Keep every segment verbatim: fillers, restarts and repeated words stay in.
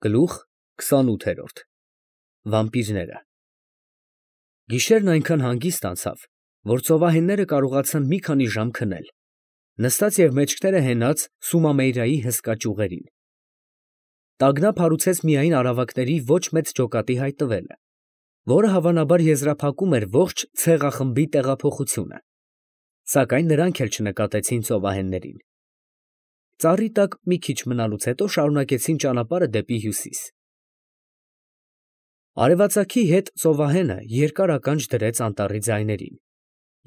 Գլուխ քսանութ Վամպիրները Գիշերն այնքան հանգիստ անցավ, որ ծովահենները կարողացան մի քանի ժամ քնել, նստած և մեջքները հենած Սումամեյրայի հսկա ճյուղերին. տագնապ հարուցեց միայն արավակների ոչ մեծ ջոկատի հայտնվելը, որը հավանաբար եզրափակում էր ողջ ցեղախմբի տեղափոխությունը, սակայն նրանք էլ չնկատեցին ծովահեններին. ծառի տակ մի քիչ մնալուց հետո շարունակեցին ճանապարհը դեպի հյուսիս. Արևածագի հետ ծովահենը երկար ականջ դրեց անտառի ձայներին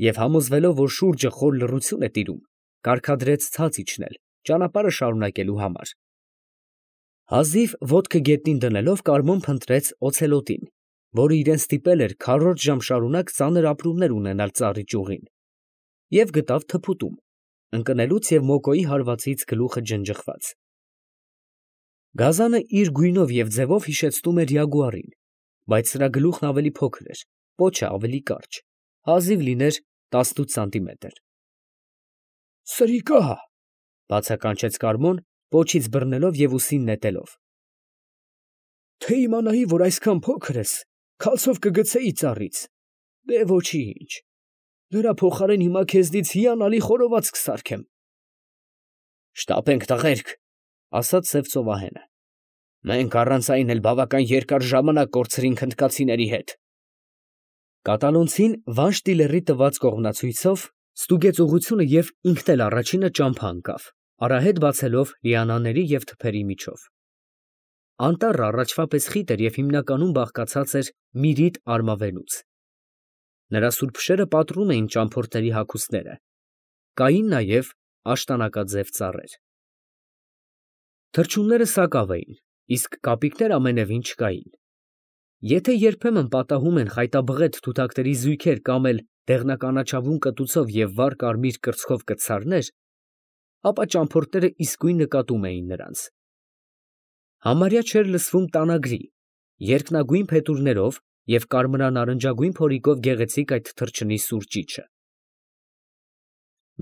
և համոզվելով, որ շուրջը խոր լռություն է տիրում, կարգադրեց ցած իջնել, ճանապարհը շարունակելու համար. հազիվ ոտքը գետնին դնելով Կարմոն փնտրեց օցելոտին, որը իրան ստիպել էր քառորդ ժամ շարունակ ծանր ապրումներ ունենալ ծառի ճյուղին, և գտավ թփուտում, ընկնելուց և մոկոյի հարվածից գլուխը ջնջղված. գազանը իր գույնով և ձևով հիշեցնում էր յագուարին, բայց սրա գլուխն ավելի փոքր էր, պոչը ավելի կարճ, հազիվ լիներ տասնութ սանտիմետր։ «Սրիկա՜» բացականչեց Կարմոն, պոչից բռնելով և ուսին նետելով։ «Թե իմանայի, որ այսքան փոքր ես, քալցով կգցեի ծառից, դե ոչինչ, դրա փոխարեն հիմա քեզնից հիանալի խորոված կսարքեմ»։ «Շտապենք, տղերք, ֊ ասաց սև ծովահենը, ֊ մենք առանց այն էլ բավական երկար ժամանակ կորցրինք հնդկացիների հետ»։ Կատալոնցին Վանշտիլերի տված կողմնացույցով ստուգեց ուղղությունը և ինքն էլ առաջինը ճամփա ընկավ, արահետ բացելով լիանաների և թփերի միջով։ Անտառը առաջվա պես խիտ էր և հիմնականում բաղկացած էր միրրիտ արմավենուց. նրա սուրբ շերը պատռում էին ճամփորդների հագուստները, կային նաև աշտանակաձև ծառեր։ Թռչունները սակավ էին, իսկ կապիկներ ամենևին չկային։ Եթե երբեմն պատահում են խայտաբղետ թութակների զույգեր կամ էլ դեղնականաչավուն կտուցով և վառ կարմիր կրծքով կտցարներ, ապա ճամփորդները իսկույն նկատում էին նրանց։ Համարյա չէր լսվում տանագրի, երկնագույն փետուրներով և կարմրանարնջագույն փորիկով գեղեցիկ այդ թռչնի սուր ճիչը։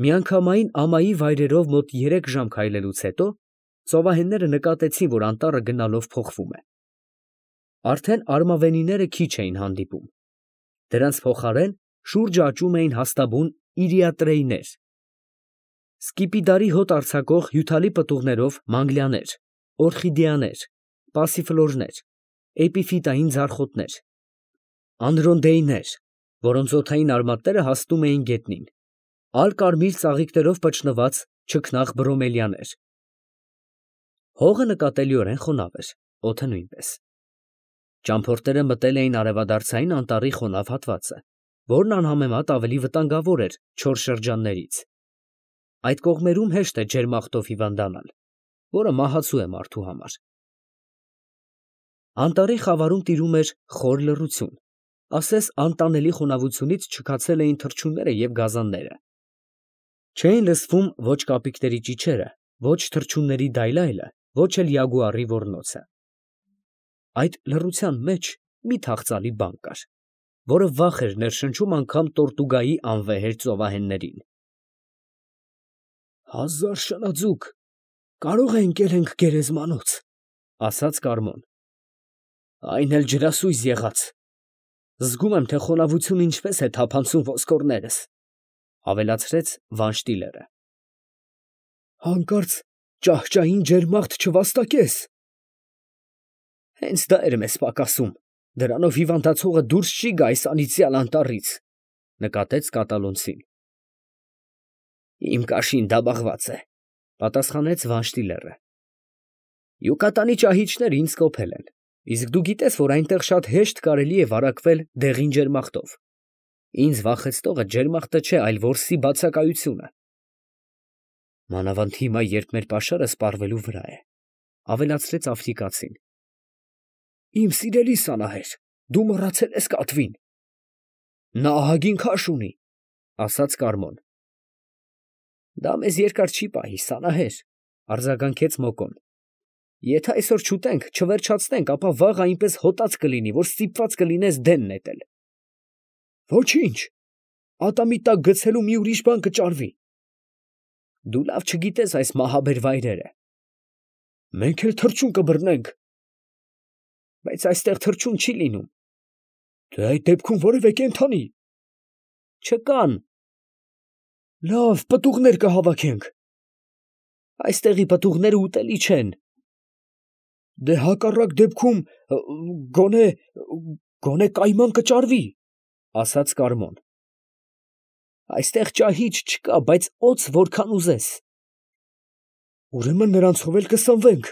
Միանգամայն ամայի վայրերով մոտ երեք ժամ քայլելուց հետո ծովահենները նկատեցին, որ անտառը գնալով փոխվում է։ Արդեն արմավենիները քիչ էին հանդիպում, դրանց փոխարեն շուրջը աճում էին հաստաբուն իրիատրեյներ, սկիպիդարի հոտ արձակող հյութալի պտուղներով մանգլիաներ, օրխիդեաներ, պասիֆլորներ, էպիֆիտային ձարխոտներ, անդրոնդեյներ, որոնց օդային արմատները հասնում էին գետնին, ալ֊կարմիր ծաղիկներով պչնված չքնաղ բրոմելիաներ։ Հողը նկատելիորեն խոնավ էր, օդը նույնպես։ Ճամփորդները մտել էին արևադարձային անտառի խոնավ հատվածը, որն անհամեմատ ավելի վտանգավոր էր չոր շրջաններից։ Այդ կողմերում հեշտ է ջերմախտով հիվանդանալ, որը մահացու է մարդու համար։ Անտառի խավարում տիրում էր խոր լռություն, ասես անտանելի խոնավությունից չքացել էին թռչունները և գազանները։ Չէին լսվում ոչ կապիկների ճիչերը, ոչ թռչունների դայլայլը, ոչ էլ յագուարի ոռնոցը։ Այդ լռության մեջ մի թախծալի բան կար, որը վախ էր ներշնչում անգամ Տորտուգայի անվեհեր ծովահեններին։ «Հազար շնաձուկ, կարո՞ղ է ընկել ենք գերեզմանոց», ֊ ասաց Կարմոն։ ֊ Այն էլ ջրասույզ եղած, զգում եմ, թե խոնավությունը ինչպես է թափանցում ոսկորներս, ֊ ավելացրեց Վանշտիլերը։ ֊ Հանկարծ ճահճային ջերմախտ չվաստակես։ ֊ Հենց դա էր մեզ պակասում, դրանով հիվանդացողը դուրս չի գա այս անիծյալ անտառից, ֊ նկատեց կատալոնցին։ ֊ Իմ կաշին դաբաղված է, ֊ պատասխանեց Վանշտիլերը։ ֊ Յուկատանի ճահիճները ինձ կոփել են, իսկ դու գիտես, որ այնտեղ շատ հեշտ կարելի է վարակվել դեղին ջերմախտով։ Ինձ վախեցնողը ջերմախտը չէ, այլ որսի բացակայությունը։ Մանավանդ հիմա, երբ մեր պաշարը սպառվելու վրա է, ֊ ավելացրեց աֆրիկացին։ ֊ Իմ սիրելի սանահեր, դու մոռացել ես կատվին։ ֊ Նա ահագին քաշ ունի, ֊ ասաց Կարմոն։ ֊ Դա մեզ երկար չի պահի, սանահեր, ֊ արձագանքեց Մոկոն։ ֊ Եթե այսօր չուտենք, չվերջացնենք, ապա վաղը այնպես հոտած կլինի, որ ստիպված կլինես դեն նետել։ ֊ Ոչինչ, ատամի տակ գցելու մի ուրիշ բան կճարվի։ ֊ Դու լավ չգիտես այս մահաբեր վայրերը։ ֊ Մենք էլ թռչուն կբռնենք։ բայց այստեղ թռչուն չի լինում։ Թե այդ դեպքում որևէ կենդանի։ Չկան։ Լավ, պտուղներ կհավաքենք։ Այստեղի պտուղները ուտելի չեն։ Դե հակառակ դեպքում գոնե գոնե կայման կճարվի, ասաց Կարմոն։ Այստեղ ճահիճ չկա, բայց օձ որքան ուզես։ Ուրեմն նրանցով էլ կսնվենք։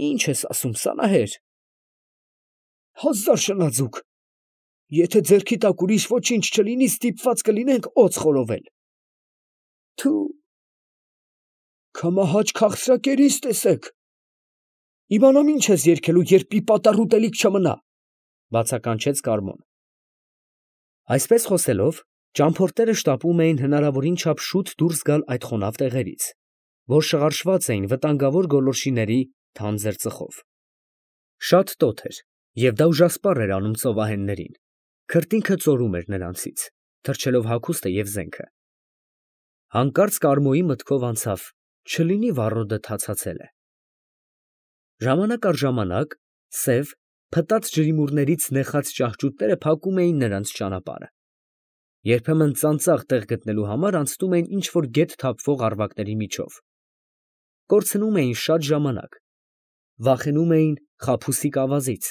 Ինչ ես ասում, Սանահեր։ Հազար շնաձուկ։ Եթե ձեռքի տակ ուրիշ ոչինչ չլինի, ստիպված կլինենք օձ խորովել։ Թու։ Քամահաճ քաղցրակերից տեսեք։ Իմանամ ինչ ես երգելու, երբ մի պատառ ուտելիք չմնա, բացականչեց Կարմոն։ Այսպես խոսելով, ճամփորդները շտապում էին հնարավորին չափ շուտ դուրս գալ այդ խոնավ տեղերից, որ շղարշված էին վտանգավոր գոլորշիների թանձր ծխով։ Շատ տոթ էր, և դա ուժասպառ էր անում ծովահեններին, քրտինքը ծորում էր նրանցից, թռչելով հագուստը և զենքը։ Հանկարծ Կարմոյի մտքով անցավ, չլինի վառոդը թացացել է։ Ժամանակ առ ժամանակ սև, փտած ջրիմուռներից նեխած ճահճուտները փակում էին նրանց ճանապարհը։ Երբեմն ծանծաղ տեղ գտնելու համար անցնում էին ինչ-որ գետ թափվող առվակների միջով։ Կորցնում էին շատ ժամանակ, վախենում էին խաբուսիկ ավազից,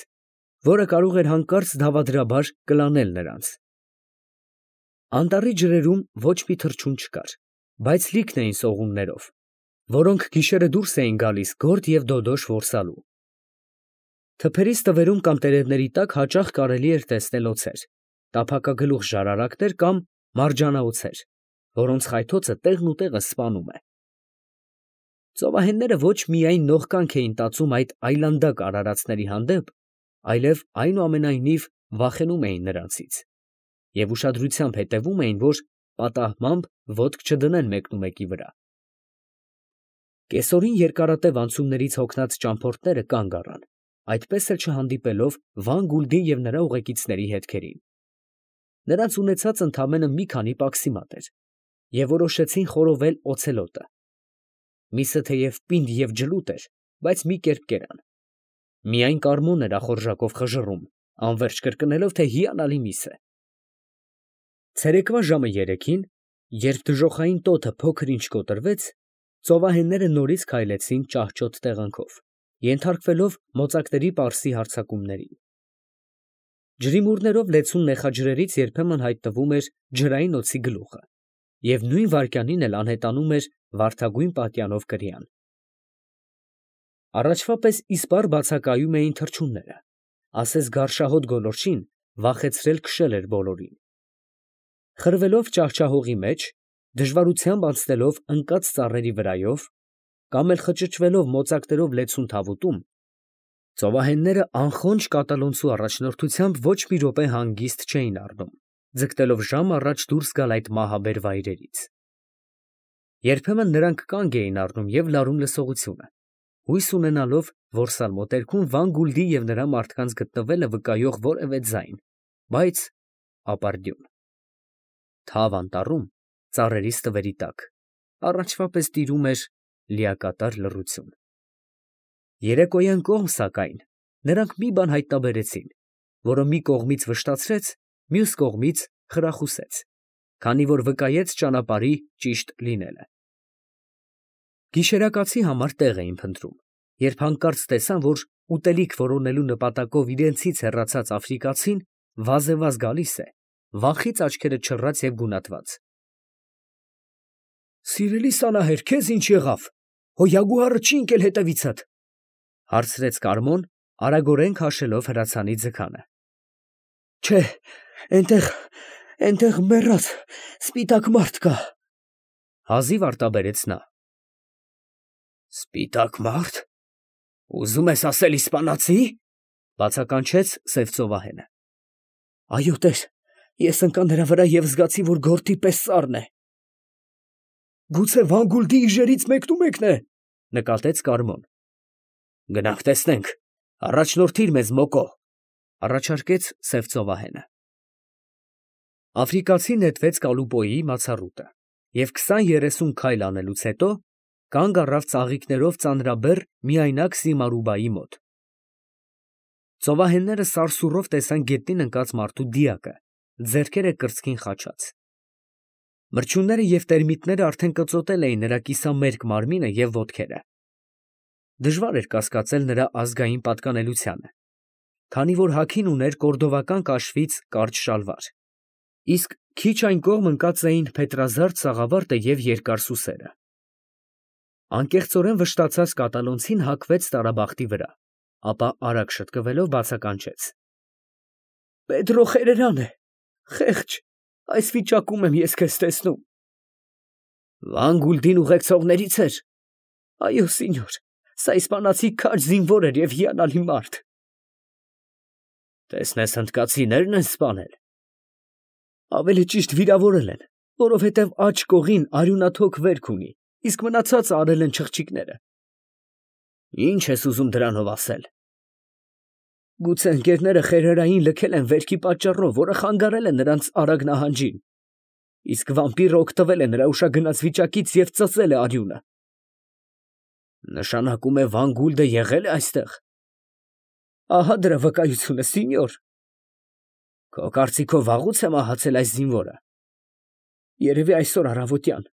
որը կարող էր հանկարծ դավադրաբար կլանել նրանց։ Անտառի ջրերում ոչ մի թռչուն չկար, բայց լիքն էին սողուններով, որոնք գիշերը դուրս էին գալիս գորդ և դոդոշ որսալու։ Թփերի ստվերում կամ տերևների տակ հաճախ կարելի էր տեսնել օձեր, տափակագլուխ ժարարակներ կամ մարջանաօձեր, որոնց խայթոցը տեղն ու տեղը սպանում է։ Ծովահենները ոչ միայն նողկանք էին տածում այդ այլանդակ արարածների հանդեպ, այլև այնուամենայնիվ վախենում էին նրանցից և ուշադրությամբ հետևում էին, որ պատահմամբ ոտք չդնեն մեկնումեկի վրա։ Կեսօրին երկարատև անցումներից հոգնած ճամփորդները կանգ առան, այդպես էլ չհանդիպելով Վան Գուլդի և նրա ուղեկիցների հետքերին։ Նրանց ունեցածը ընդամենը մի քանի պաքսիմատ էր, և որոշեցին խորովել օցելոտը։ Միսը թեև պինդ և ջլուտ էր, բայց մի կերպ կերան։ Միայն Կարմոնն էր ախորժակով խժռում, անվերջ կրկնելով, թե հիանալի միս է։ Ցերեկվա ժամը երեքին, երբ դժոխային տոթը փոքր-ինչ կոտրվեց, ծովահենները նորից քայլեցին ճահճոտ տեղանքով, ենթարկվելով մոծակների պարսի հարձակումներին։ Ջրիմուռներով լեցուն նեխաջրերից երբեմն հայտնվում էր ջրային օձի գլուխը, և նույն վայրկյանին էլ անհետանում էր վարդագույն պատյանով կրիան։ Առաջվա պես իսպառ բացակայում էին թռչունները, ասես գարշահոտ գոլորշին վախեցրել քշել էր բոլորին։ Խրվելով ճահճահողի մեջ, դժվարությամբ անցնելով ընկած ծառերի վրայով, կամ էլ խճճվելով մոծակներով լեցուն թավուտում, ծովահենները անխոնջ կատալոնցու առաջնորդությամբ ոչ մի րոպե հանգիստ չէին առնում, ձգտելով ժամ առաջ դուրս գալ այդ մահաբեր վայրերից։ Երբեմն նրանք կանգ էին առնում և լարում լսողությունը, հույս ունենալով, որ սալմոտերքում Վան Գուլդի և նրա մարդկանց գտնվելը վկայող որևէ ձայն, բայց ապարդյուն։ Թավ անտառում, ծառերի ստվերի տակ, առաջվա պես տիրում էր լիակատար լռություն։ Երեկոյան կողմ, սակայն, նրանք մի բան հայտնաբերեցին, որը մի կողմից վշտացրեց, մյուս կողմից խրախուսեց, քանի որ վկայեց ճանապարհի ճիշտ լինելը։ Գիշերակացի համար տեղ էին փնտրում, երբ հանկարծ տեսան, որ ուտելիք որոնելու նպատակով իրենցից հեռացած աֆրիկացին վազևազ գալիս է, վախից աչքերը չռած և գունատված։ Սիրելի Սանահեր, քեզ ինչ եղավ, հո յագուարը չի ընկել հետևիցդ, հարցրեց Կարմոն, արագորեն քաշելով հրացանի ձգանը։ Չէ, էնտեղ, էնտեղ մեռած սպիտակ մարդ կա, հազիվ արտաբերեց նա։ Սպիտակ մարդ, ուզում ես ասել իսպանացի, բացականչեց սև ծովահենը։ Այո տեր, ես ընկա նրա վրա և զգացի, որ գորտի պես սառն է։ Գուցե Վան Գուլդի իժերից մեկնումեկն է, նկատեց Կարմոն։ Գնանք տեսնենք, առաջնորդիր մեզ Մոկո, առաջարկեց սև ծովահենը։ Աֆրիկացին նետվեց Կալուպոյի մացառուտը և քսան֊երեսուն քայլ անելուց հետո կանգ առավ ծաղիկներով ծանրաբեռ միայնակ Սիմարուբայի մոտ։ Ծովահենները սարսուռով տեսան գետնին ընկած մարդու դիակը, ձեռքերը կրծքին խաչած։ Մրջյունները և տերմիտները արդեն կծոտել էին նրա կիսամերկ մարմինը և ոտքերը։ Դժվար էր կասկածել նրա ազգային պատկանելությանը, քանի որ հագին ուներ կորդովական կաշվից կարճ շալվար, իսկ քիչ այն կողմ ընկած էին փետրազարդ սաղավարտը և երկար սուսերը։ Անկեղծորեն վշտացած կատալոնցին հագվեց տարաբախտի վրա, ապա արագ շտկվելով բացականչեց. ֊ Խերերան է, խեղճ, այս վիճակում եմ ես քեզ տեսնում։ ֊ Վան Գուլդին ուղեկցողների՞ց էր։ ֊ Այո, սինյոր, սա իսպանացի քաջ զինվոր էր և հիանալի մարդ։ ֊ Տեսնես հնդկացինե՞րն են սպանել։ ֊ Ավելի ճիշտ վիրավորել են, որովհետև աջ կողին արյունաթոք վերք ունի, իսկ մնացածը արել են չղջիկները։ ֊ Ի՞նչ ես ուզում դրանով ասել։ ֊ Գուցե ընկերները խերերային լքել են վերքի պատճառով, որը խանգարել է նրանց արագ նահանջին, իսկ վամպիրը օգտվել է նրա ուշագնաց վիճակից և ծծել է արյունը։ ֊ Նշանակում է Վան Գուլդը եղել է այստեղ։ ֊ Ահա դրա վկայությունը, սինյոր։ ֊ Քո կարծիքով վաղուց է մահացել այս զինվորը։ ֊ Երևի այսօր առավոտյան։ ֊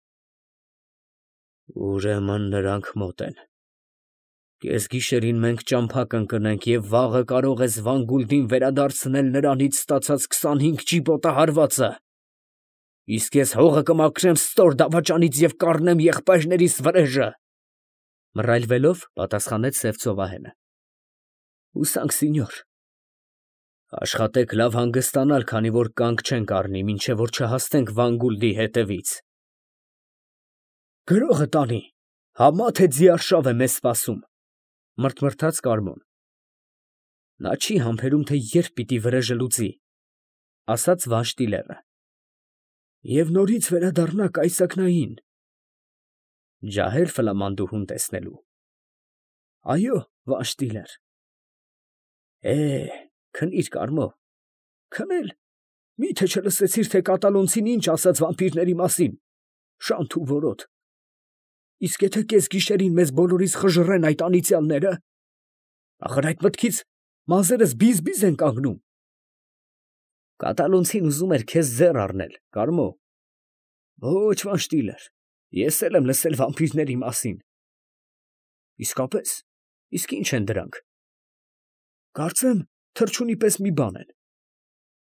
Ուրեմն նրանք մոտ են։ Կեսգիշերին մենք ճամփա կընկնենք, և վաղը կարող ես Վան Գուլդին վերադարձնել նրանից ստացած քսանհինգ ճիպոտը հարվածը, իսկ ես հողը կմաքրեմ ստոր դավաճանից և կառնեմ եղբայրներիս վրեժը, ֊ մռայլվելով պատասխանեց սև ծովահենը։ ֊ Հուսանք, սինյոր։ ֊ Աշխատեք լավ հանգստանալ, քանի որ կանգ չենք առնի, մինչև որ չհասնենք Վան Գուլդի հետևից։ ֊ Գրողը տանի, համա թե ձիարշավ է մեզ սպասում, ֊ մրթմրթաց Կարմոն։ ֊ Նա չի համբերում, թե երբ պիտի վրեժը լուծի, ֊ ասաց Վանշտիլերը։ ֊ Եվ նորից վերադառնա կայծակնային։ ֊ Ջահե՞լ ֆլամանդուհուն տեսնելու։ ֊ Այո, Վանշտիլեր։ ֊ Է, քնի՛ր, Կարմո։ ֊ Քնել, մի՞թե չլսեցիր, թե կատալոնցին ինչ ասաց վամպիրների մասին, շանթ ու որոտ. իսկ եթե կեսգիշերին մեզ բոլորիս խժռեն այդ անիծյալները, ախր այդ մտքից մազերս բիզ֊բիզ են կանգնում։ ֊ Կատալոնցին ուզում էր քեզ ձեռ առնել, Կարմո։ ֊ Ոչ, Վանշտիլեր, ես էլ եմ լսել վամպիրների մասին։ ֊ Իսկապե՞ս, իսկ ի՞նչ են դրանք։ ֊ Կարծեմ թռչունի պես մի բան են։ ֊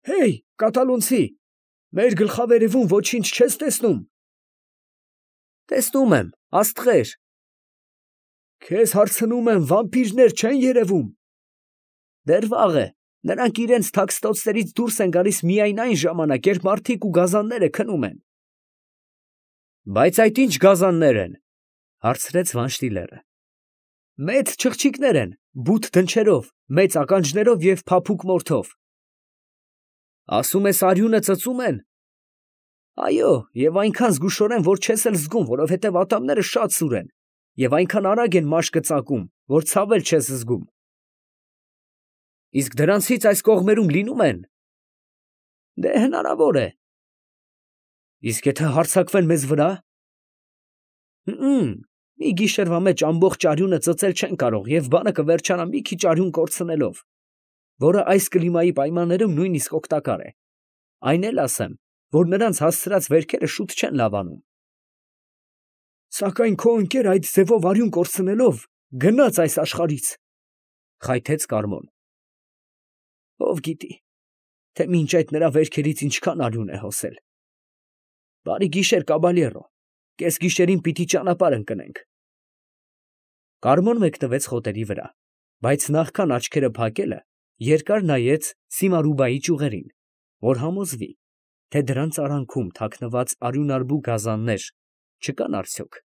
Հեյ, կատալոնցի, մեր գլխավերևում ոչինչ չես տեսնում։ ֊ Տեսնում եմ, աստղեր։ ֊ Քեզ հարցնում եմ, վամպիրներ չեն երևում։ ֊ Դեռ վաղ է, նրանք իրանց թաքստոցներից դուրս են գալիս միայն այն ժամանակ, երբ մարդիկ ու գազանները քնում են։ ֊ Բայց այդ ի՞նչ գազաններ են, ֊ հարցրեց Վանշտիլերը։ ֊ Մեծ չղջիկներ են, բութ դնչերով, մեծ ականջներով և փափուկ մորթով։ ֊ Ասում ես, արյունը ծծում են։ ֊ Այո, և այնքան զգուշորեն, որ չես էլ զգում, որովհետև ատամները շատ սուր են, և այնքան արագ են մաշկը ծակում, որ ցավ էլ չես զգում։ ֊ Իսկ դրանցից այս կողմերում լինում են։ ֊ Դե հնարավոր է։ ֊ Իսկ եթե հարձակվեն մեզ վրա։ ֊ Հըմ, մի գիշերվա մեջ ամբողջ արյունը ծծել չեն կարող և բանը կվերջանա մի քիչ արյուն կորցնելով, որը այս կլիմայի պայմաններում նույնիսկ օգտակար է։ Այն էլ ասեմ, որ նրանց հասցրած վերքերը շուտ չեն լավանում։ ֊ Սակայն քո ընկերը այդ ձևով արյուն կորցնելով գնաց այս աշխարհից, ֊ խայթեց Կարմոն։ ֊ Ո՞վ գիտի, թե մինչ այդ նրա վերքերից ինչքան արյուն է հոսել։ Բարի գիշեր, կաբալյերո, կեսգիշերին պիտի ճանապարհ ընկնենք։ Կարմոն մեկնվեց խոտերի վրա, բայց նախքան աչքերը փակելը, երկար նայեց Սիմարուբայի ճյուղերին, որ համոզվի, թե դրանց արանքում թաքնված արյունարբու գազաններ չկան արդյոք։